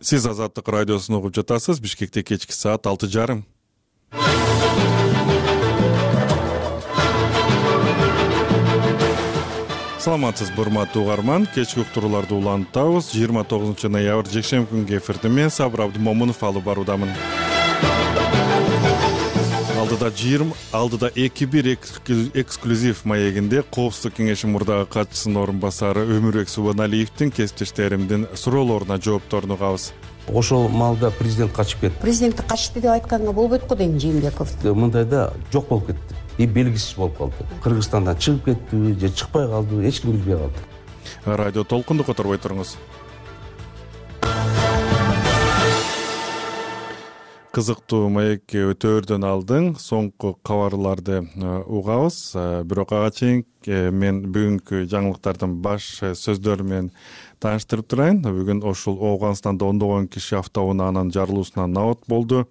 Сиз Азаттык радиосун угуп жатасыз. Бишкекте кечки саат 6:30. Саламатсызбы, урматтуу угарман. Кечки уктурууларды улантабыз. 29 ноябрь жекшемби күнгө эфирде мен Сабыр Абдымомунов алып баруудамын. Алдыда 2-1 эксклюзив маегинде Коопсуздук кеңеши мурдагы катчысынын орун басары Өмүрбек Субаналиевдин кесиптештеримдин суроолоруна жоопторун угабыз. Ошол маалда президент качып кетти. Президентти качты деп айтканга болбойт го дейм Жээнбеков. Мындайда жок болуп кетти. Белгисиз болуп калды. Кыргызстандан чыгып кетти же чыкпай калды, эч ким билбей калды. Радио толкунду которбой туруңуз. Кызыктуу маекке өтөөрдөн алдын соңку кабарларды угабыз. Бирок ага чейин мен бүгүнкү жаңылыктардын баш сөздөрү менен тааныштырып турайын. Бүгүн ошол Ооганстанда ондогон киши автоунаанын жарылуусунан набат болду.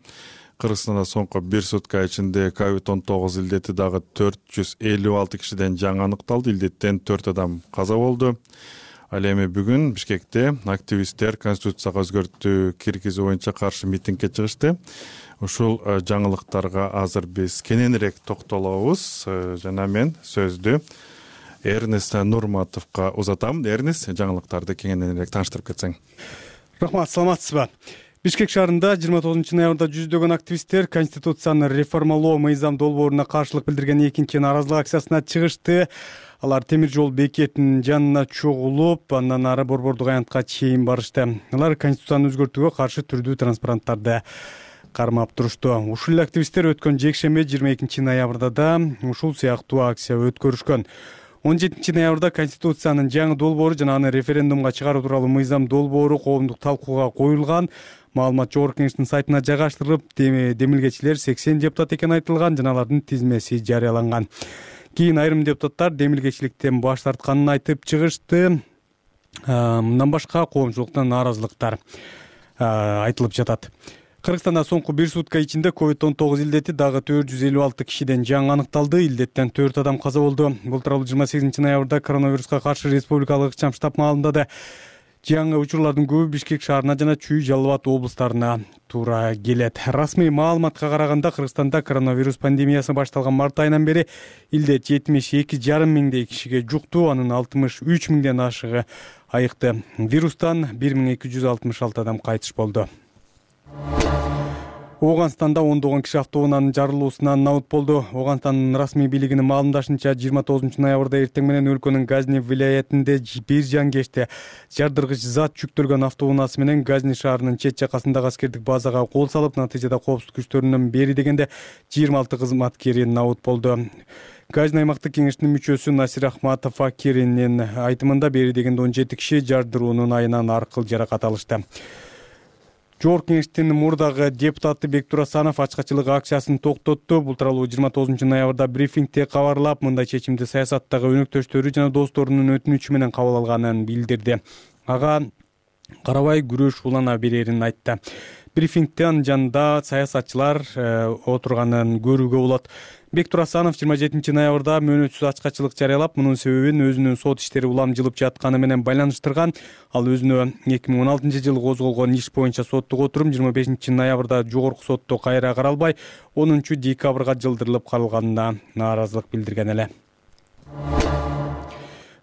Кыргызстанда соңку 1 сутка ичинде COVID-19 илдети дагы 456 кишиден жаңы аныкталды. Илдеттен 4 адам каза болду. Ал эми бүгүн Бишкекте активисттер Конституцияга өзгөртүү киргизүү боюнча каршы митингге чыгышты. Ушул жаңылыктарга азыр биз кененирээк токтолобуз. Жана мен сөздү Эрнест Нурматовго узатам. Эрнест, жаңылыктарды кеңинирээк тааныштырып кетсең. Рахмат, саламатсызбы? Бишкек шаарында 29 ноябрда жүздөгөн активисттер Конституцияны реформалоо мыйзам долбооруна каршылык билдирген экинчи нааразылык акциясына чыгышты. Алар темир жол бекетинин жанына чогулуп, андан ары Борбордук аянтка чейин барышты. Алар Конституцияны өзгөртүүгө каршы түрдүү транспаранттарды кармап турушту. Ушул активисттер өткөн жекшемби 22 ноябрда да ушул сыяктуу акция өткөрүшкөн. 17 ноябрда Конституциянын жаңы долбоору жана аны референдумга чыгаруу тууралуу мыйзам долбоору коомдук талкууга коюлган. Маалымат Жогорку Кеңештин сайтына жайгаштырылып, демилгечилер 80 депутат экени айтылган жана алардын тизмеси жарыяланган. Кийин айрым депутаттар демилгечиликтен баш тартканын айтып чыгышты. Мындан башка коомчулуктан нааразылыктар айтылып жатат. Кыргызстанда соңку 1 сутка ичинде COVID-19 илдети дагы 456 кишиден жаңы аныкталды. Илдеттен 4 адам каза болду. Бул тууралуу 28 ноябрда коронавируска каршы республикалык ыкчам штаб маалымдады. Жаңы учурлардын көбү Бишкек шаарына жана Чүй, Жалал Абад облустарына туура келет. Расмий маалыматка караганда Кыргызстанда коронавирус пандемиясы башталган март айынан бери илдет 72,5 миңдей кишиге жукту, анын 63 миңден ашыгы айыкты. Вирустан 1266 адам кайтыш болду. Ооганстанда ондогон киши автоунаанын жарылуусунан набат болду. Ооганстандын расмий бийлигинин маалымдашынча 29 ноябрда эртең менен өлкөнүн Газни вилаятинде бир жан кечте жардыргыч зат жүктөлгөн автоунаасы менен Газни шаарынын чет жакасындагы аскердик базага кол салып, натыйжада коопсуздук күчтөрүнүн бери дегенде 26 кызматкери набат болду. Газни аймактык кеңештин мүчөсү Насир Ахматов Акиринин айтымында бери дегенде 17 киши жардыруунун айынан аркыл жаракат алышты. Жогорку Кеңештин мурдагы депутаты Бектур Асанов ачкачылык акциясын токтотту. Бул тууралуу 29 ноябрда брифингде кабарлап, мындай чечимди саясаттагы өнөктөштөрү жана досторунун өтүнүчү менен кабыл алганын билдирди. Ага карабай күрөш улана берерин айтты. Брифингдин жанында саясатчылар отурганын көрүүгө болот. Бектур Асанов 27 ноябрда мөөнөтсүз ачкачылык жарыялап, мунун себебин өзүнүн сот иштери улам жылып жатканы менен байланыштырган. Ал өзүнө 2016 жылы козголгон иш боюнча соттук отурум 25 ноябрда жогорку сотто кайра каралбай, 10 декабрга жылдырылып калганына нааразылык билдирген эле.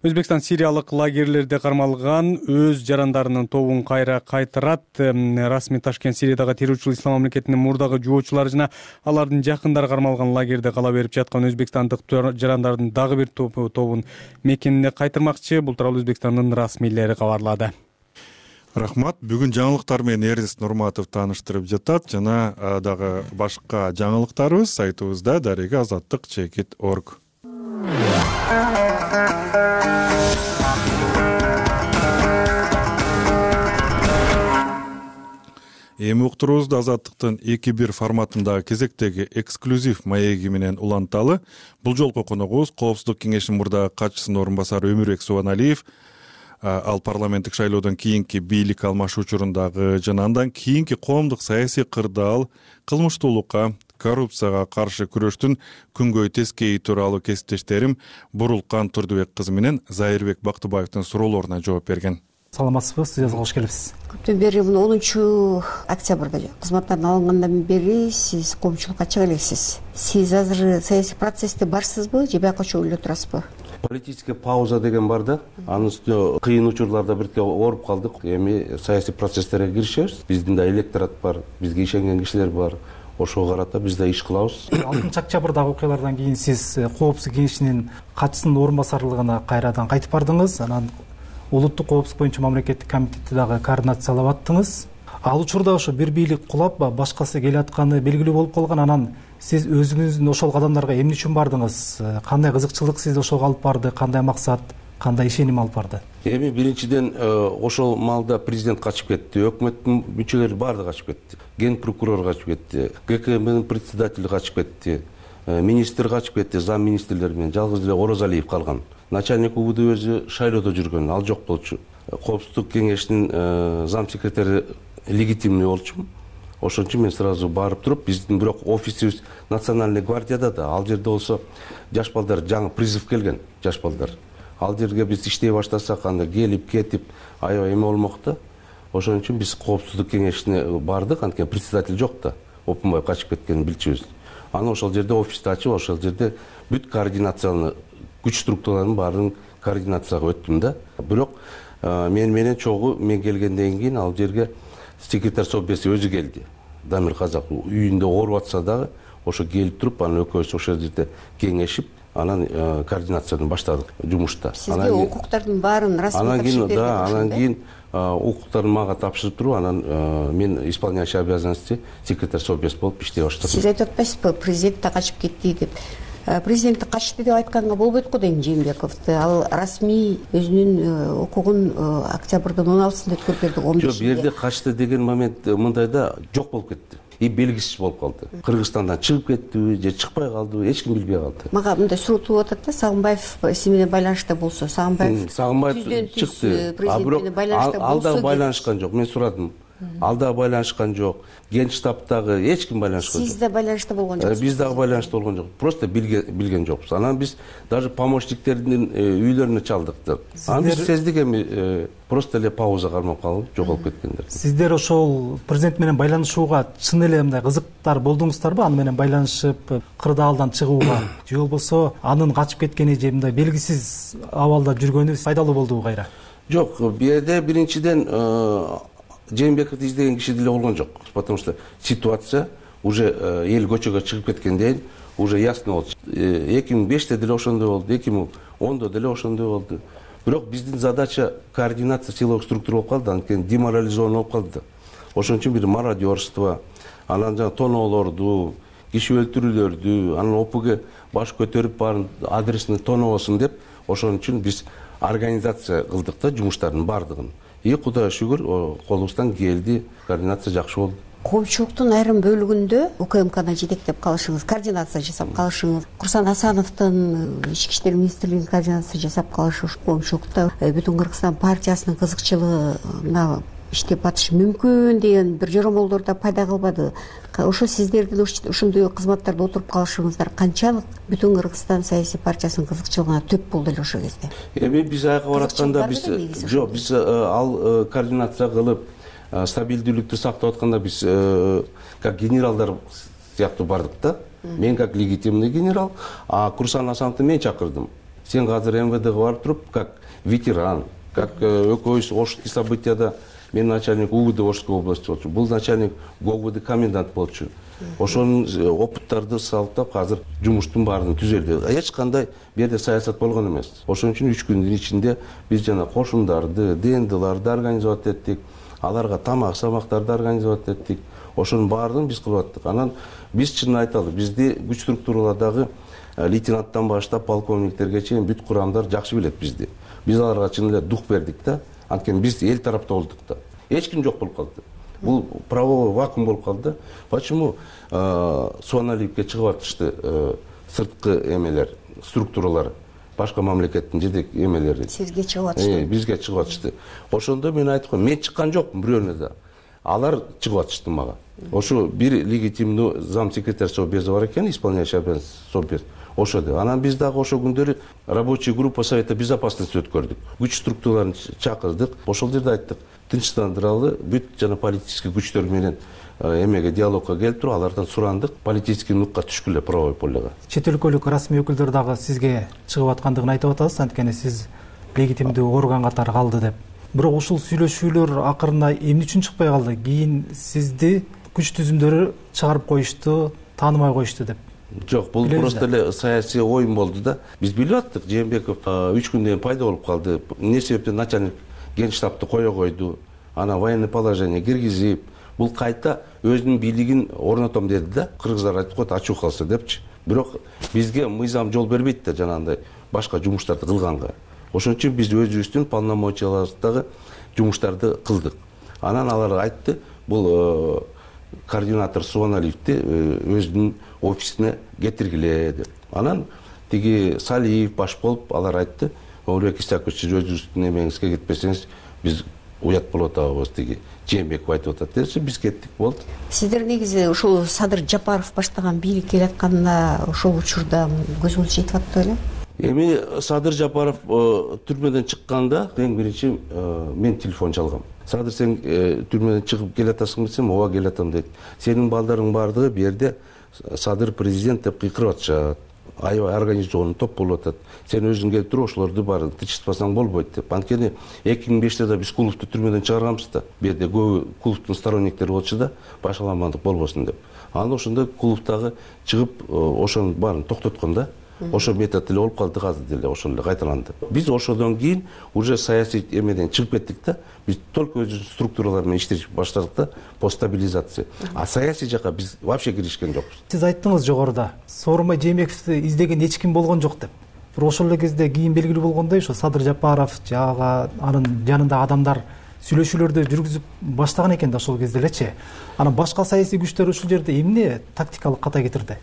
Өзбекстан сириялык лагерлерде кармалган өз жарандарынын тобун кайра кайтарат. Расмий Ташкент Сириядагы террорчул ислам мамлекетинин мурдагы жоочулары жана алардын жакындары кармалган лагерде кала берип жаткан өзбекстандык жарандардын дагы бир тобун мекенине кайтармакчы. Бул тууралуу Өзбекстандын расмийлери кабарлады. Рахмат. Бүгүн жаңылыктар менен Эрнест Нурматов тааныштырып жатат жана дагы башка жаңылыктарыбыз сайтыбызда daregaazаттыk.org. Эми уктуруубузду Азаттыктын 2-1 форматындагы кезектеги эксклюзив маеги менен уланталы. Бул жолку коногубуз Коопсуздук кеңешинин мурдагы катчысынын орун басары Өмүрбек Субаналиев. Ал парламенттик шайлоодон кийинки бийлик алмашуу учурундагы жана андан кийинки коомдук саясий кырдаал, кылмыштуулукка, коррупцияга каршы күрөштүн күнгөй тескейи тууралуу кесиптештерим Бурулкан Турдубек кызы менен Зайырбек Бактыбаевдин суроолоруна жооп берген. Саламатсызбы, студиябызга кош келипсиз. Көптөн бери мына 10 октябрда кызматтан алынгандан бери сиз коомчулукка чыга элексиз. Сиз азыр саясий процессте барсызбы же бияка чогуу эле турасызбы? Политический пауза деген бар да. Анын үстүнө кыйын учурларда бирке ооруп калдык. Эми саясий процесстерге киришебиз. Биздин да электорат бар, бизге ишенген кишилер бар. Ошого карата биз да иш кылабыз. 6 октябрдагы окуялардан кийин сиз Коопсуздук кеңешинин катчысынын орун басарлыгына кайрадан кайтып бардыңыз. Анан улуттук коопсуздук боюнча мамлекеттик комитетти дагы координациялап аттыңыз. Ал учурда ошо бир бийлик кулап башкасы келатканы белгилүү болуп калган. Анан сиз өзүңүздүн ошол кадамдарга эмне үчүн бардыңыз? Кандай кызыкчылык сизди ошого алып барды? Кандай максат, кандай ишеним алып барды? Эми биринчиден ошол маалда президент качып кетти, өкмөттүн мүчөлөрү баардыгы качып кетти. Ген прокурор качып кетти, ГКМнын председатели качып кетти, министр качып кетти, зам министрлер менен жалгыз эле Орозалиев калган. Начальник УВД өзү шайлоодо жүргөн, ал жок болчу. Коопсуздук кеңешинин зам секретари легитимный болчу. Ошон үчүн мен сразу барып туруп, биздин бирок офисибиз Национальный гвардияда да, ал жерде болсо жаш балдар жаңы призыв келген, жаш балдар. Ал жерге биз иштей баштасак, анда келип кетип аябай эме болмок да. Ошон үчүн биз коопсуздук кеңешине бардык, анткени председатель жок да, Опунбаев качып кеткенин билчүбүз. Аны ошол жерде офисти ачып, ошол жерде бүт координациялы күч структураларынын баарын координацияга өттүм да. Бирок мен менен чогуу мен келгенден кийин ал жерге секретарь совбеси өзү келди. Дамир Казак үйүндө ооруп атса дагы ошо келип туруп, анан экөөбүз ошол жерде кеңешип, анан координацияны баштадык жумушта. Сизге укуктардын баарын расмий тапшырып берген. Анан кийин укуктарын мага тапшырып туруп, анан мен исполняющий обязанности секретарь совбес болуп иштей баштадым. Сиз айтып атпайсызбы, президент да качып кетти деп? Президент качты деп айтканга болбойт го дейм Жээнбековду. Ал расмий өзүнүн укугун октябрдын 16-сында өткөрүп берди, 15-inde. Жок, бу жерде качты деген момент мындайда жок болуп кетти. И белгисиз болуп калды. Кыргызстандан чыгып кеттиби же чыкпай калдыбы, эч ким билбей калды. Мага мындай суроо тууп атат да, Сагынбаев сиз менен байланышта болсо, Сагынбаев чыкты. А бирок ал да байланышкан жок. Мен сурадым. Ал да байланышкан жок. Генштабтагы эч ким байланышкан жок. Сиз да байланышта болгон жоксуз? Биз дагы байланышта болгон жок. Просто билген жокпуз. Анан биз даже помощниктердин үйлөрүнө чалдык. Анан биз сездик эми просто эле пауза кармап калып жоголуп кеткендер. Сиздер ошол президент менен байланышууга чын эле мындай кызыктар болдуңуздарбы? Аны менен байланышып, кырдаалдан чыгууга же болбосо анын качып кеткени же мындай белгисиз абалда жүргөнү пайдалуу болдубу кайра? Жок, бу жерде биринчиден Жээнбековду издеген киши деле болгон жок. Потому что ситуация уже эл көчөгө чыгып кеткенден уже ясно болчу. 2005-те деле ошондой болду, 2010-да деле ошондой болду. Бирок биздин задача координация силовых структур болуп калды, анткени деморализован болуп калды. Ошон үчүн бир мародерство, анан жаңы тоноолорду, киши өлтүрүүлөрдү, анан ОПГ баш көтөрүп баарын адресин тоноосун деп, ошон үчүн биз организация кылдык да жумуштардын баардыгын. И Кудайга шүгүр, колубуздан келди, координация жакшы болду. Коомчулуктун айрым бөлүгүндө УКМКны жетектеп калышыңыз, координация жасап калышыңыз, Курсан Асановдун ички иштер министрлигинин координация жасап калышы коомчулукта Бүтүн Кыргызстан партиясынын кызыкчылыгына иштеп атышы мүмкүн деген бир жоромолдор да пайда кылбады. Ошо сиздердин ушундай кызматтарда отуруп калышыңыздар канчалык Бүтүн Кыргызстан саясий партиясынын кызыкчылыгына төп болду эле ошол кезде? Эми биз аяка баратканда биз ал координация кылып стабилдүүлүктү сактап атканда биз как генералдар сыяктуу бардык да. Мен как легитимный генерал, а Курсан Асановду мен чакырдым. Сен азыр МВДга барып туруп как ветеран, как экөөбүз Ошский событияда мен начальник УВД Ошской области болчу. Бул начальник ГОВД комендант болчу. Ошонун опыттарды салыптап азыр жумуштун баарын түзөлдү. Эч кандай бу жерде саясат болгон эмес. Ошон үчүн 3 күндүн ичинде биз жана кошундарды, ДНДларды организовать эттик. Аларга тамак-самактарды организовать эттик. Ошонун баарын биз кылып аттык. Анан биз чынын айталы, бизди күч структуралардагы лейтенанттан баштап полковниктерге чейин бүт курамдар жакшы билет бизди. Биз аларга чын эле дух бердик да. Анткени биз эл тарапта болдук да. Эч ким жок болуп калды. Бул правовой вакуум болуп калды. Почему Суаналиевке чыгып атышты сырткы эмелер, структуралар, башка мамлекеттин жетек эмелери? Сизге чыгып атышты. Бизге чыгып атышты. Ошондо мен айттым, мен чыккан жокмун бирөөнө да. Алар чыгып атышты мага. Ошо бир легитимдүү зам секретарь совбеза бар экен, исполняющий обязанности совбез. ошо деп. Анан биз дагы ошол күндөрү рабочий группа Совета безопасности өткөрдүк. Күч структураларын чакырдык. Ошол жерде айттык, тынчтандыралы, бүт жана политический күчтөр менен эмеге диалогко келип туруп, алардан сурандык, политический нукка түшкүлө правовой полега. Чет өлкөлүк расмий өкүлдөр дагы сизге чыгып аткандыгын айтып атасыз, анткени сиз легитимдүү орган катары калды деп. Бирок ушул сүйлөшүүлөр акырында эмне үчүн чыкпай калды? Кийин сизди күч түзүмдөрү чыгарып коюшту, таанымай коюшту деп. Жок, бул просто эле саясий оюн болду да. Биз билип аттык, Жээнбеков 3 күндөн кийин пайда болуп калды. Эмне себептен начальник генштабты кое койду, ана военный положение киргизип, бул кайта өзүнүн бийлигин орнотом деди да. Кыргыздар айтып коет, ачуу калса депчи. Бирок бизге мыйзам жол бербейт да жанагындай башка жумуштарды кылганга. Ошон үчүн биз өзүбүздүн полномочияларыбыздагы жумуштарды кылдык. Анан алар айтты, бул координатор Субаналиевди өзүнүн офисине кетиргиле деп. Анан тиги Салиев баш болуп алар айтты, Олег Исакович, сиз өзүңүздүн эмеңизге кетпесеңиз биз уят болуп атабыз, тиги Жээнбеков айтып атат десе, биз кеттик, болду. Сиздер негизи ушул Садыр Жапаров баштаган бийлик келатканда ошол учурда көзүңүз жетип аттыбы беле? Эми Садыр Жапаров түрмөдөн чыкканда эң биринчи мен телефон чалгам. Садыр, сен түрмөдөн чыгып келатасың десем, ооба келатам дейт. Сенин балдарың бардыгы бу жерде Садыр президент деп кыйкырып атышат. Аябай организованный топ болуп атат. Сен өзүң келип туруп ошолорду баарын тынчтпасаң болбойт деп. Анткени 2005-те да биз Куловду түрмөдөн чыгарганбыз да. Бу жерде көбү Куловдун сторонниктери болчу да, башаламандык болбосун деп. Анан ошондо Куловдагы чыгып ошонун баарын токтоткон да. Ошо метод эле болуп калды, азыр деле ошол эле кайталанды. Биз ошодон кийин уже саясий эмеден чыгып кеттик да. Биз только өзүбүздүн структуралар менен иштешти баштадык да, по стабилизации. А саясий жакка биз вообще киришкен жокпуз. Сиз айттыңыз жогоруда, Сооронбай Жээнбековду издеген эч ким болгон жок деп. Бирок ошол эле кезде кийин белгилүү болгондой, ошо Садыр Жапаров жагы анын жанындагы адамдар сүйлөшүүлөрдү жүргүзүп баштаган экен да ошол кезде элечи. Анан башка саясий күчтөр ушул жерде эмне тактикалык ката кетирди?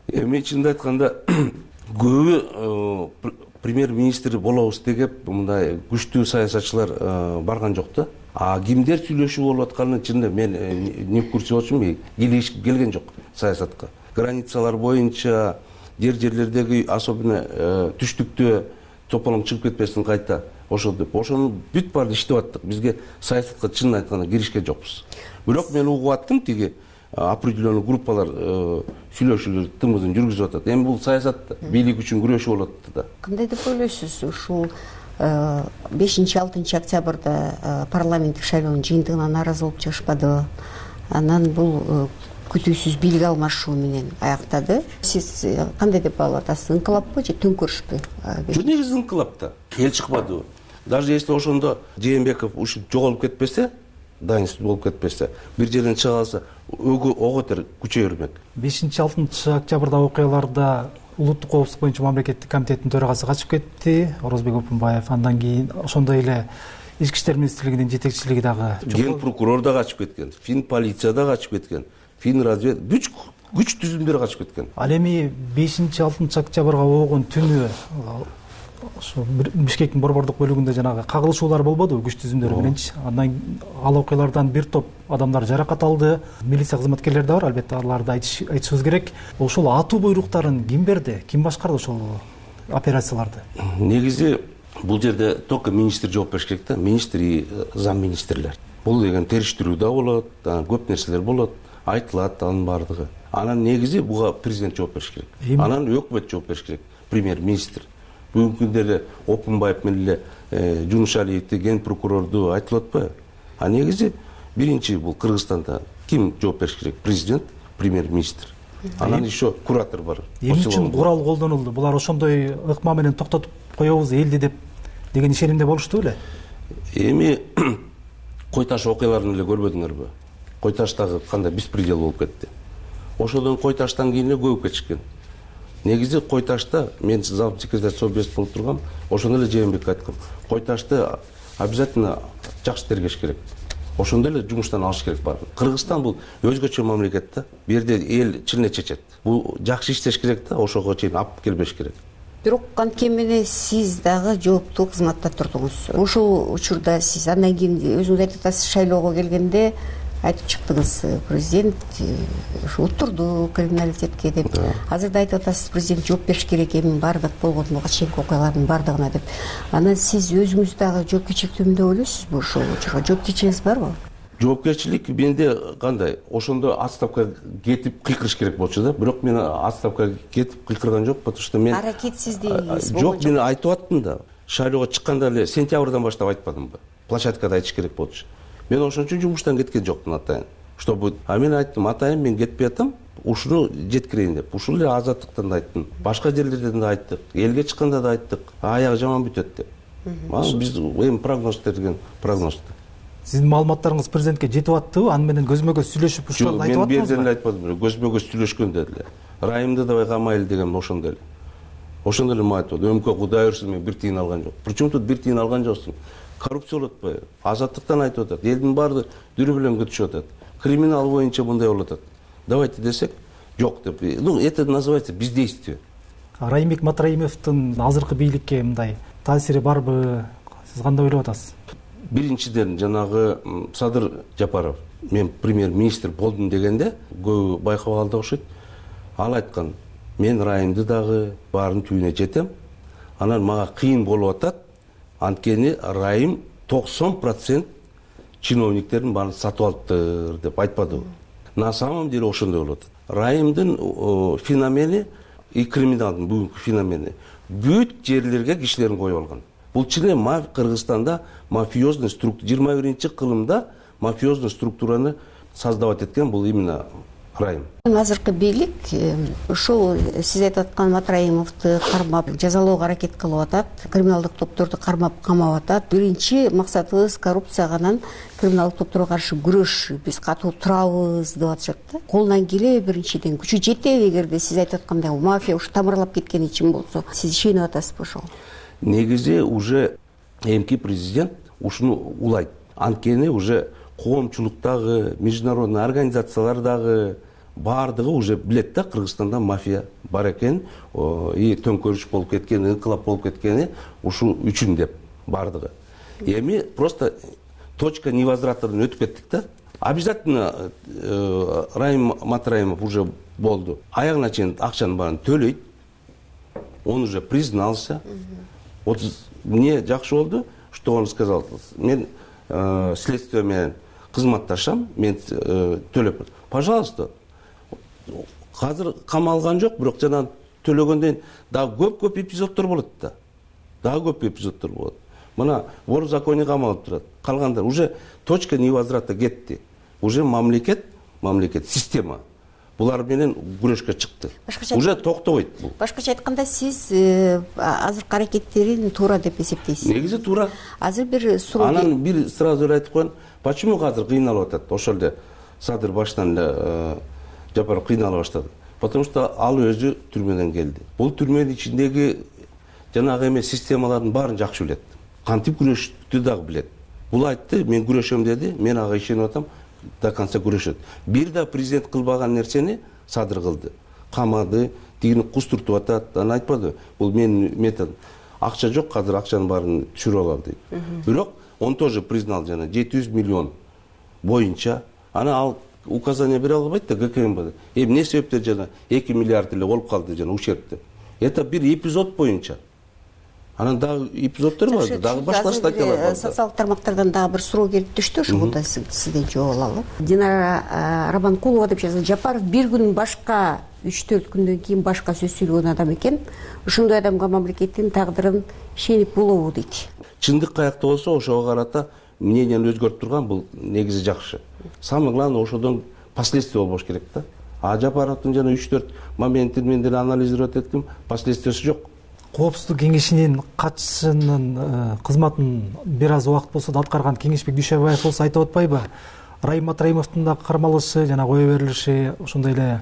Эми чынын айтканда көбү премьер-министр болобуз деп мындай күчтүү саясатчылар барган жок да. А кимдер сүйлөшүү болуп атканын чынында мен не в курсе болчумун, келген жок саясатка. Границалар боюнча жерлердеги, особенно түштүктө тополоң чыгып кетпесин кайта ошол деп. Ошону бүт баарын иштеп аттык. Бизге саясатка чынын айтканда киришкен жокпуз. Бирок мен угуп аттым, тиги определенный группалар сүйлөшүүлөр тымызын жүргүзүп атат. Эми бул саясат бийлик үчүн күрөшүү болуп атты да. Кандай деп ойлойсуз, ушул 5-6 октябрда парламенттик шайлоонун жыйынтыгына нааразы болуп чыгышпадыбы? Анан бул күтүүсүз бийлик алмашуу менен аяктады. Сиз кандай деп баалап атасыз? Инкылаппы же төңкөрүшпү? Жок, негизи инкылап да. Эл чыкпадыбы? Даже если ошондо Жээнбеков ушинтип жоголуп кетпесе, дайынсыз болуп кетпесе, бир жерден чыга алса, ого котор күчөй бермек. 5-6 октябрда окуяларда улуттук коопсуздук боюнча мамлекеттик комитеттин төрагасы качып кетти, Орозбек Опунбаев. Андан кийин ошондой эле Ички иштер министрлигинин жетекчилиги дагы, ген прокурор да качып кеткен, фин полиция да качып кеткен, фин развед күч түзүмдөр качып кеткен. Ал эми 5-6 октябрга болгон түнү ошо Бишкектин борбордук бөлүгүндө жанагы кагылышуулар болбодубу күч түзүмдөрү мененчи? Андан ал окуялардан бир топ адамдар жаракат алды. Милиция кызматкерлери да бар, албетте аларды айтышыбыз керек. Ошол атуу буйруктарын ким берди? Ким башкарды ошол операцияларды? Негизи бул жерде только министр жооп бериш керек да, министр и замминистрлер. Бул деген териштирүү да болот, көп нерселер болот, айтылат анын баардыгы. Анан негизи буга президент жооп бериш керек. Анан өкмөт жооп бериш керек, премьер-министр. Бүгүнкү күндө Опунбаев менен эле Жунушалиевди, ген прокурорду айтылып атпайбы? А негизи биринчи бул Кыргызстанда ким жооп бериш керек? Президент, премьер-министр. Анан еще куратор бар. Эмне үчүн курал колдонулду? Булар ошондой ыкма менен токтотуп коебуз элди деп деген ишенимде болушту беле? Эми Кой Таш окуяларын эле көрбөдүңөрбү? Кой Таштагы кандай беспредел болуп кетти. Ошодон Кой Таштан кийин эле көбүп кетишкен. Негизи Кой Ташта мен зам секретарь Совбез болуп тургам, ошондо эле Жээнбекке айткам. Кой Ташты обязательно жакшы тергеш керек. Ошондо эле жумуштан алыш керек бар. Кыргызстан бул өзгөчө мамлекет да. Бу жерде эл чын чечет. Бул жакшы иштеш керек да, ошого чейин алып келбеш керек. Бирок анткени сиз дагы жооптуу кызматта турдуңуз. Ушул учурда сиз андан кийин өзүңүз айтып атасыз, шайлоого келгенде айтып чыктыңыз, президент уттурду криминалитетке деп. Азыр да айтып атасыз, президент жооп бериш керек эми баардык болгон буга чейинки окуялардын баардыгына деп. Анан сиз өзүңүз дагы жоопкерчиликтүүмүн деп ойлойсузбу? Ошол жоопкерчилигиңиз барбы? Жоопкерчилик менде кандай? Ошондо отставкага кетип кыйкырыш керек болчу да. Бирок мен отставкага кетип кыйкырган жок, потому что мен аракетсиздигиңиз жок, мен айтып аттым да. Шайлоого чыкканда эле сентябрдан баштап айтпадымбы? Площадкада айтыш керек болчу. Мен ошон үчүн жумуштан кеткен жокмун атайын. Чтобы мен айттым, атайын мен кетпей атам, ушуну жеткирейин деп. Ушул эле азаттыктан да айттым. Башка жерлерден да айттык. Элге чыкканда да айттык. Аягы жаман бүтөт деп. Биз эми прогноз берген прогноз. Сиздин маалыматтарыңыз президентке жетип аттыбы? Аны менен көзмө көз сүйлөшүп ушул айтып аттыңызбы? Мен берден эле айтпадым. Көзмө көз сүйлөшкөн деди. Райымды давай камайлы деген ошондо эле. Ошондо эле айтып атты. Өмкө Кудай өрсүн, мен бир тиын алган жок. Причем тут бир тиын алган жоксуң? Коррупция болуп атпайбы? Азаттыктан айтып атат. Элдин баары дүрү менен күтүшүп атат. Криминал боюнча мындай болуп атат. Давайте десек, жок деп. Это называется бездействие. Райымбек Матраимовдун азыркы бийликке мындай таасири барбы? Сиз кандай ойлоп атасыз? Биринчиден жанагы Садыр Жапаров, мен премьер-министр болдум дегенде көбү байкап алды окшойт. Ал айткан, мен Райымды дагы баарын түбүнө жетем. Анан мага кыйын болуп атат. Анткени Райым 90% чиновниктердин баарын сатып алыптыр деп айтпадыбы? На самом деле ошондой болуп атат. Райымдын феномени и криминалдын бүгүнкү феномени бүт жерлерге кишилерин коюп алган. Бул чын эле Кыргызстанда мафиозный структура 21-кылымда мафиозный структураны создавать эткен бул именно Райым. Азыркы бийлик ушул сиз айтып аткан Матраимовду кармап жазалоого аракет кылып атат, криминалдык топторду кармап камап атат. Биринчи максатыбыз коррупцияга анан криминалдык топторго каршы күрөш, биз катуу турабыз деп атышат да. Колунан келеби биринчиден, күчү жетеби эгерде сиз айтып аткандай мафия ушу тамырлап кеткени чын болсо, сиз ишенип атасызбы ошого? Негизи уже эмки президент ушуну улайт. Анткени уже коомчулуктагы, международный организациялар дагы баардыгы уже билет да, Кыргызстанда мафия бар экен, и төңкөрүш болуп кеткен, инкылап болуп кеткени ушул үчүн деп баардыгы. Эми просто точка невозвратынан өтүп кеттик да. Обязательно Райым Матраимов уже болду. Аягына чейин акчанын баарын төлөйт. Он уже признался. Вот мне жакшы болду, что он сказал. Мен следствие менен кызматташам, мен төлөп. Пожалуйста. Азыр камалган жок, бирок жана төлөгөндөн дагы көп эпизоддор болот да. Дагы көп эпизоддор болот. Мына вор в законе камалып турат. Калгандар уже точка невозврата кетти. Уже мамлекет, система булар менен күрөшкө чыкты. Уже токтобойт бул. Башкача айтканда, сиз азыркы аракеттерин туура деп эсептейсиз? Негизи туура. Азыр бир суроо. Анан бир сразу эле айтып коеюн. Почему азыр кыйналып атат? Ошол эле Садыр баштан эле Жапаров кыйнала баштады. Потому что ал өзү түрмөдөн келди. Бул түрмөнүн ичиндеги жанагы эме системалардын баарын жакшы билет. Кантип күрөштү дагы билет. Бул айтты, мен күрөшөм деди, мен ага ишенип атам, до конца күрөшөт. Бир да президент кылбаган нерсени Садыр кылды. Камады, тигини кустуртуп атат, анан айтпады. Бул менин метод. Акча жок, азыр акчанын баарын түшүрүп алам дейт. Бирок он тоже признал жана 700 миллион боюнча. Ана ал указание бере албайт да ГКМБ. Эмне себептен жана 2 миллиард эле болуп калды жана ущерб деп. Это бир эпизод боюнча. Анан дагы эпизоддор бар, дагы башка статьялар бар. Социалдык тармактардан дагы бир суроо келип түштү, ошого да сизден жооп алалы. Динара Рабанкулова деп жазат. Жапаров бир күн башка 3-4 күндөн кийин башка сөз сүйлөгөн адам экен. Ушундай адамга мамлекеттин тагдырын ишенип болобу дейт. Чындык каякта болсо ошого карата мнениени өзгөртүп турган бул негизи жакшы. Самое главное ошодон последствия болбош керек да. А Жапаровдун жана 3-4 моментин мен деле анализировать эттим, последствиясы жок. Коопсуздук кеңешинин катчысынын кызматын бир аз убакыт болсо да аткарган Кеңешбек Дүйшөбаев болсо айтып атпайбы? Райым Матраимовдун дагы кармалышы жана кое берилиши, ошондой эле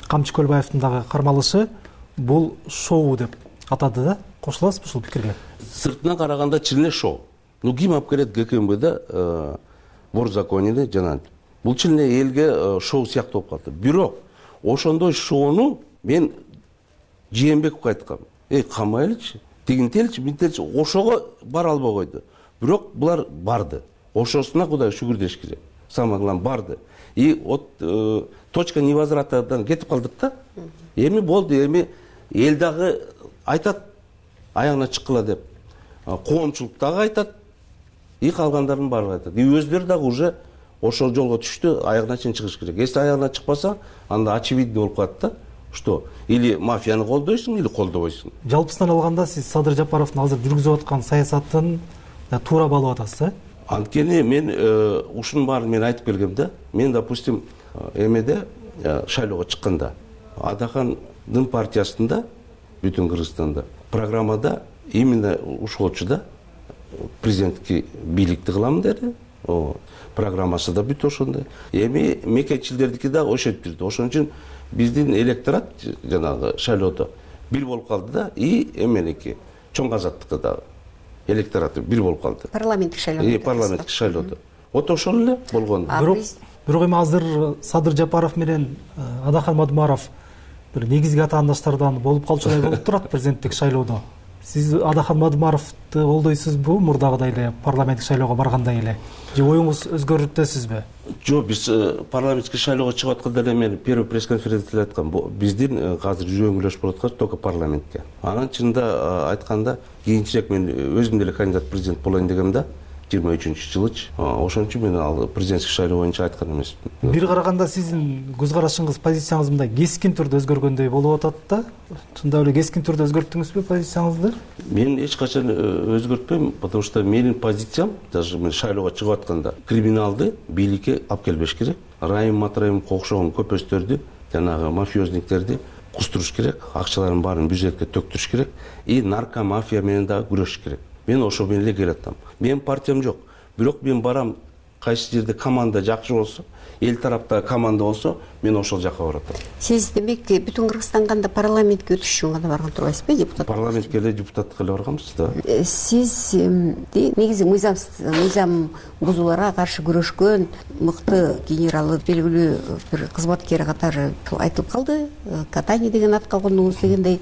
Камчы Көлбаевдин дагы кармалышы бул шоу деп атады да. Кошуласызбы ушул пикирге? Сыртынан караганда чын эле шоу. Ким алып келет ГКМБда вор в законе жана бул чын эле элге шоу сыяктуу болуп калды. Бирок ошондой шоуну мен Жээнбековго айткам. Камайлычы, тигинтеличи, минтеличи, ошого бара албай койду. Бирок булар барды. Ошосуна Кудай шүгүр деш керек. самое главное барды. И от точка невозвратадан кетип калдык да. Эми болду, эми эл дагы айтат аягына чыккыла деп. Коомчулук дагы айтат. И калгандардын баары айтат. И өздөрү дагы уже ошол жолго түштү, аягына чейин чыгыш керек. Если аягына чыкпаса, анда очевидно болуп калат да. Что? Или мафияны колдойсуң, или колдобойсуң. Жалпысынан алганда сиз Садыр Жапаровдун азыр жүргүзүп аткан саясатын туура баалап атасыз, э? Анткени мен ушунун баарын мен айтып келгем да. Мен, допустим, эмеде шайлоого чыкканда Адахандын партиясында бүтүн Кыргызстанда программада именно ушолчу президенттик бийликти кылам деди. Программасы да бүт ошондой. Эми мекенчилердики да ошентип жүрдү. Ошон үчүн биздин электорат жанагы шайлоодо бир болуп калды да, и эменики чоң азаттыкта дагы электораты бир болуп калды. Парламенттик шайлоодо. Парламенттик шайлоодо. Вот ошол эле болгон. Бирок эми азыр Садыр Жапаров менен Адахан Мадумаров бир негизги атаандаштардан болуп калчудай болуп турат президенттик шайлоодо. Сиз Адахан Мадумаровду колдойсузбу, мурдагыдай эле парламенттик шайлоого баргандай эле? Же оюңуз өзгөрүп атасызбы? Жок, биз парламенттик шайлоого чыгып атканда эле мен первый пресс-конференцияда айткам, биздин азыр жөнгүлөш болуп аткан только парламентке. Анан чынында айтканда кийинчерээк мен өзүм деле кандидат президент болоюн дегем да. 23-жылычы. Ошон үчүн мен ал президенттик шайлоо боюнча айткан эмесмин. Бир караганда сиздин көз карашыңыз, позицияңыз мындай кескин түрдө өзгөргөндөй болуп атат да. Чындап эле кескин түрдө өзгөрттүңүзбү позицияңызды? Мен эч качан өзгөртпөйм, потому что менин позициям, даже мен шайлоого чыгып атканда, криминалды бийликке алып келбеш керек. Райым Матраимовго окшогон көпөстөрдү, жанагы мафиозниктерди кустуруш керек, акчалардын баарын бюджетке төктүрүш керек, и наркомафия менен дагы күрөшүш керек. Мен ошо менен эле келатам. Менин партиям жок. Бирок мен барам, кайсы жерде команда жакшы болсо, эл тарапта команда болсо, мен ошол жака баратам. Сиз демек бүтүн Кыргызстан кандай парламентке өтүш үчүн гана барган турбайсызбы, депутат? Парламентке эле депутаттыкка эле барганбыз да. Сиз негизи мыйзам бузууларга каршы күрөшкөн мыкты генералы, белгилүү бир кызматкер катары айтылып калды. Катани деген атка кондуңуз дегендей.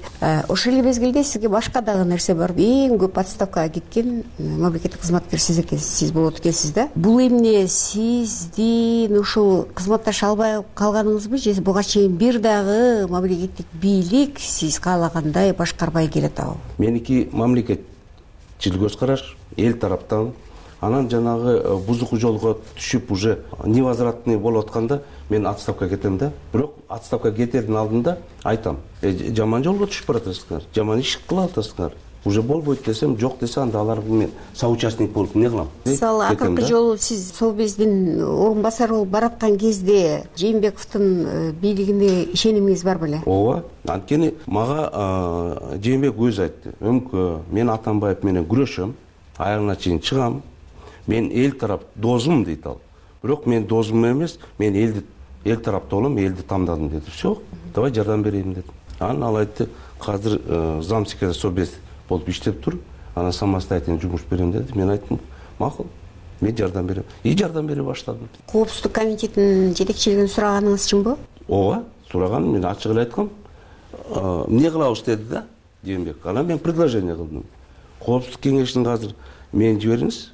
Ошол эле мезгилде сизге башка дагы нерсе бар. Эң көп отставкага кеткен мамлекеттик кызматкер сиз экенсиз, сиз болот экенсиз да. Бул эмне сиздин ушул кызматташа албай калганыңызбы, же буга чейин бир дагы мамлекеттик бийлик сиз каалагандай башкарбай келатабы? Меники мамлекетчил көз караш, эл тараптан, анан жанагы бузуку жолго түшүп уже невозвратный болуп атканда мен отставка кетем да. Бирок отставка кетердин алдында айтам, жаман жолго түшүп баратасыңар, жаман иш кылып атасыңар. Уже болбойт десем, жок десе, анда аларга мен соучастник болуп эмне кылам? Мисалы, акыркы жолу сиз Совбездин орун басары болуп бараткан кезде Жээнбековдун бийлигине ишенимиңиз бар беле? Ооба. Анткени мага Жээнбеков өзү айтты. Өмкө, мен Атамбаев менен күрөшөм, аягына чейин чыгам. Мен эл тарап досум дейт ал. Бирок мен досум эмес, мен эл тарапта болом, элди тандадым деди. Все, давай жардам берейин деди. Анан ал айтты, азыр замсекретарь Совбез болуп иштеп тур, анан самостоятельный жумуш берем деди. Мен айттым, макул, мен жардам берем. И жардам бере баштадым. Коопсуздук комитетинин жетекчилигин сураганыңыз чынбы? Ооба, сураганым, мен ачык эле айткам. Эмне кылабыз деди да, Жээнбек. Анан мен предложение кылдым. Коопсуздук кеңешине азыр мени жибериңиз.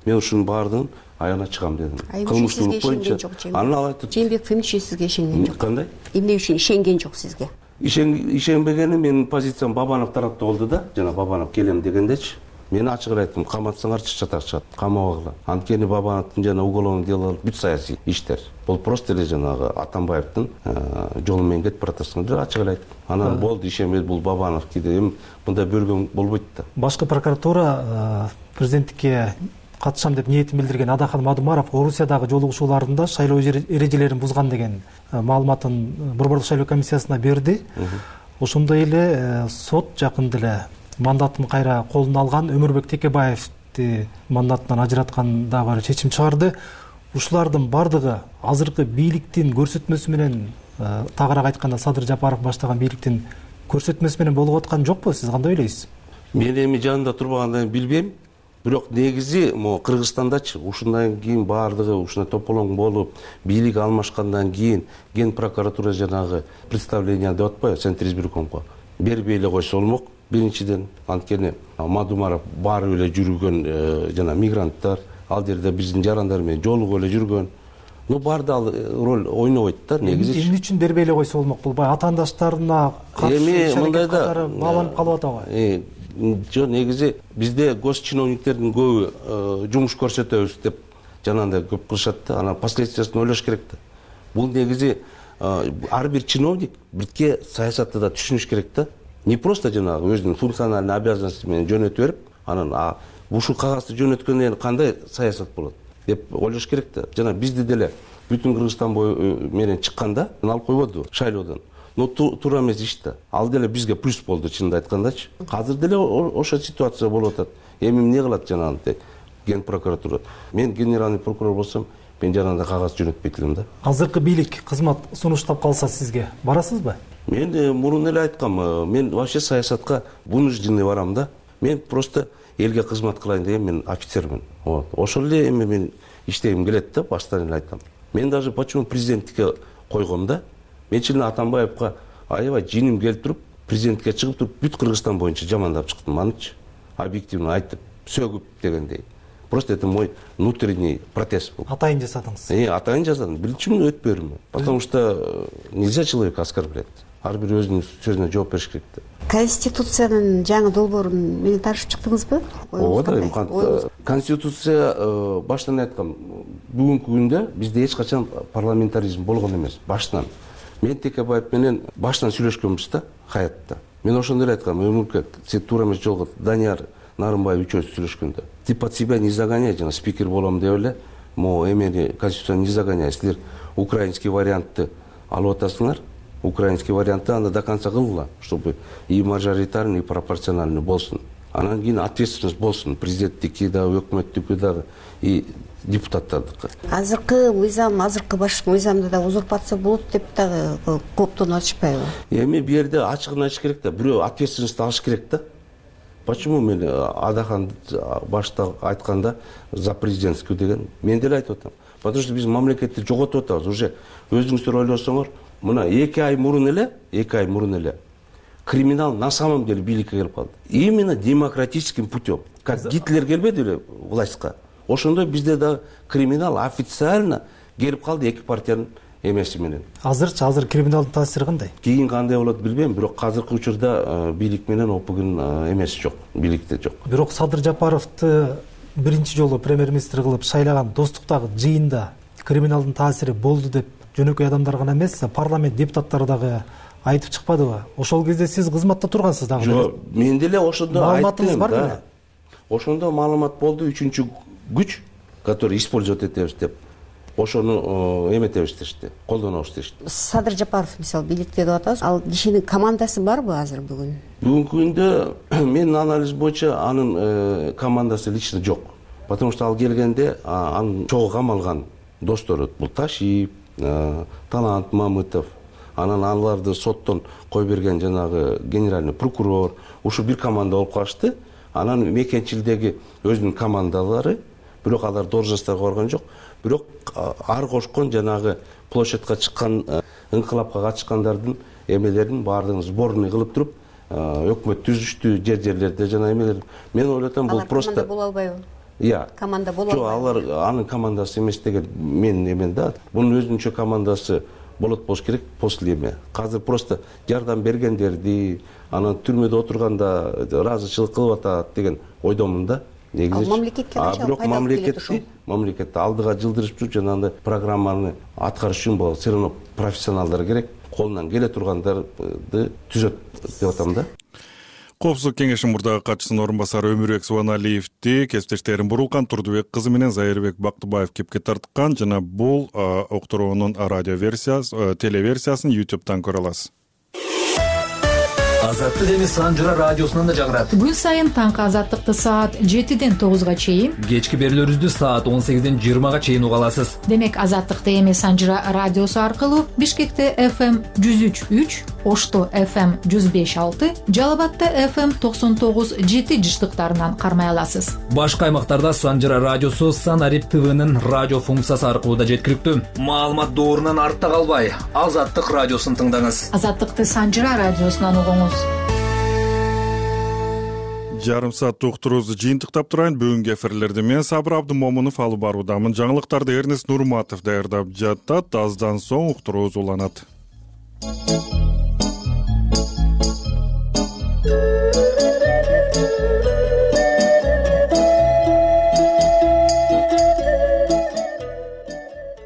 Мен ушунун баардыгын аягына чыгам дедим. Кылмыштуулук боюнча. Анан ал айтты. Жээнбеков эмне сизге ишенген жок? Кандай? Эмне үчүн ишенген жок сизге? Ишенбегени менин позициям Бабанов тарапта болду да, жана Бабанов келем дегендечи. Мен ачык эле айттым, каматсаңарчы чатар, камабагыла. Анткени Бабановдун жана уголовный делолор бүт саясий иштер. Бул просто эле жанагы Атамбаевдин жолу менен кетип баратасыңар деп ачык эле айттым. Анан болду, ишенбей бул Бабанов кийде мындай бөлгөн болбойт да. Башкы прокуратура президенттикке катышам деп ниетин билдирген Адахан Мадумаров Орусиядагы жолугушууларында шайлоо эрежелерин бузган деген маалыматын Борбордук шайлоо комиссиясына берди. Ошондой эле сот жакында эле мандатын кайра колуна алган Өмүрбек Текебаевди мандатынан ажыраткан дагы бир чечим чыгарды. Ушулардын бардыгы азыркы бийликтин көрсөтмөсү менен, тагыраак айтканда Садыр Жапаров баштаган бийликтин көрсөтмөсү менен болуп аткан жокпу? Сиз кандай ойлойсуз? Мен эми жанында турбагандан билбейм. Бирок негизи могу Кыргызстандачы ушундан кийин баардыгы ушундай тополоң болуп, бийлик алмашкандан кийин Ген прокуратура жанагы представление деп атпайбы, Центр избиркомго бербей эле койсо болмок. Биринчиден, анткени Мадумаров баары эле жүргөн жана мигранттар, ал жерде биздин жарандар менен жолугуп эле жүргөн. Баарда ал роль ойнобойт да негизи. Эмне үчүн дербей эле койсо болмок бул баягы атаандаштарына каршы мындай да бааланып калып атабы? Жок, негизи бизде гос чиновниктердин көбү жумуш көрсөтөбүз деп жанагындай көп кылышат да, анан последствиясын ойлош керек да. Бул негизи ар бир чиновник бирке саясатты да түшүнүш керек да. Не просто жанагы өзүнүн функциональный обязанности менен жөнөтүп берип, анан ушул кагазды жөнөткөндөн кийин кандай саясат болот деп ойлош керек да. Жана бизди деле бүтүн Кыргызстан менен чыкканда алып койбоду шайлоодон. Туура эмес иш да. Ал деле бизге плюс болду чынын айткандачы. Азыр деле ошо ситуация болуп атат. Эми эмне кылат жанагындай ген прокуратура? Мен генеральный прокурор болсом, мен жанагындай кагаз жөнөтпөйт элем да. Азыркы бийлик кызмат сунуштап калса сизге барасызбы? Мен мурун эле айткам, мен вообще саясатка вынужденный барам да. Мен просто элге кызмат кылайын деген мен офицермин. Ошол эле эми мен иштегим келет да, баштан эле айткам. Мен даже почему президенттикке койгом да. Мен чын Атамбаевка аябай жиним келип туруп, президентке чыгып туруп, бүт Кыргызстан боюнча жамандап чыктым анычы. Объективно айтып, сөгүп дегендей. Просто это мой внутренний протест был. Атайын жасадыңыз? Атайын жасадым. Биринчи өтпөй берме. Потому что нельзя человека оскорблять. Ар бир өзүнүн сөзүнө жооп бериш керек да. Конституциянын жаңы долбоорун менен таанышып чыктыңызбы? Ооба, Конституция баштан айткам, бүгүнкү күндө бизде эч качан парламентаризм болгон эмес, баштан. Мен Текебаев менен баштан сүйлөшкөнбүз да, хаятта. Мен ошондо эле айткам, өмүркө сен туура эмес жолго Данияр Нарымбаев үчөөбүз сүйлөшкөндө. Ты под себя не загоняй, жана спикер болом деп эле, эмени Конституцияны не загоняй. Силер украинский вариантты алып атасыңар. Украинский вариантты анда до конца кылгыла, чтобы и мажоритарный, и пропорциональный болсун. Анан кийин ответственность болсун, президенттики дагы, өкмөттүкү дагы, и депутаттардыкы. Азыркы мыйзам, азыркы баш мыйзамда да узурпация болот деп дагы кооптонуп атышпайбы? Эми бул жерде ачыгын айтыш керек да, бирөө ответственность алыш керек да. Почему мен Адахан башта айтканда за президентский деген, мен деле айтып атам. Потому что биз мамлекетти жоготуп атабыз. Уже өзүңүздөр ойлосоңор, мына 2 ай мурун эле криминал на самом деле бийликке келип калды. Именно демократическим путем. Как Гитлер келбеди эле властька. Ошондой бизде да криминал официально келип калды эки партиянын эмеси менен. Азыр криминалдын таасири кандай? Кийин кандай болот билбейм, бирок азыркы учурда бийлик менен опугун эмеси жок, бийликте жок. Бирок Садыр Жапаровду биринчи жолу премьер-министр кылып шайлаган Достуктагы жыйында криминалдын таасири болду деп жөнөкөй адамдар гана эмес, парламент депутаттары дагы айтып чыкпадыбы? Ошол кезде сиз кызматта тургансыз дагы. Жок, мен деле ошондо айттым. Маалыматыңыз бар беле? Ошондо маалымат болду, үчүнчү күч, который использовать этебиз деп. Ошону эметебиз дешти, колдонобуз дешти. Садыр Жапаров мисалы бийликте деп атабыз. Ал кишинин командасы барбы азыр бүгүн? Бүгүнкү күндө менин анализ боюнча анын командасы лично жок. Потому что ал келгенде анын чогуу камалган достору бул Ташиев, Талант Мамытов, анан аларды соттон кой берген жанагы генеральный прокурор, ушу бир команда болуп калышты. Анан мекенчилдеги өзүнүн командалары, бирок алар должностторго барган жок. Бирок ар кошкон жанагы площадька чыккан, инкылапка катышкандардын эмелерин баардыгын сборный кылып туруп, өкмөт түзүштү жерлерде жана эмелер. Мен ойлотом бул просто команда боло албайбы? Команда боло албайбы? Жок, алар анын командасы эмес деген менин эмен да. Бунун өзүнчө командасы болот болуш керек после эме. Азыр просто жардам бергендерди, анан түрмөдө отурганда ыраазычылык кылып атат деген ойдомун да. Негизи мамлекетке бирок мамлекетти алдыга жылдырып туруп жанагындай программаны аткарыш үчүн бул все равно профессионалдар керек, колунан келе тургандарды түзөт деп атам да. Коопсуздук кеңешинин мурдагы катчысынын орун басары Өмүрбек Субаналиевди кесиптештерим Бурулкан Турдубек кызы менен Зайырбек Бактыбаев кепке тарткан жана бул уктуруунун радиоверсиясы, телеверсиясын YouTube'дан көрө аласыз. Азаттык эми Санжыра радиосунан да жагырат. Күн сайын таңкы азаттыкты саат 7-ден 9-га чейин, кечки берүүлөрүбүздү саат 18-ден 20-га чейин уга аласыз. Демек азаттыкты эми Санжыра радиосу аркылуу Бишкекте FM 103.3, Ошто FM 105.6, Жалал Абадта FM 99.7 жыштыктарынан кармай аласыз. Башка аймактарда Санжыра радиосу Санарип ТВнын радио функциясы аркылуу да жеткиликтүү. Маалымат доорунан артта калбай, Азаттык радиосун тыңдаңыз. Азаттыкты Санжыра радиосунан угуңуз. жарым сааттык уктуруубузду жыйынтыктап турайын. Бүгүнкү эфирлерди мен Сабыр Абдымомунов алып баруудамын. Жаңылыктарды Эрнест Нурматов даярдап жатат. Аздан соң уктуруубуз уланат.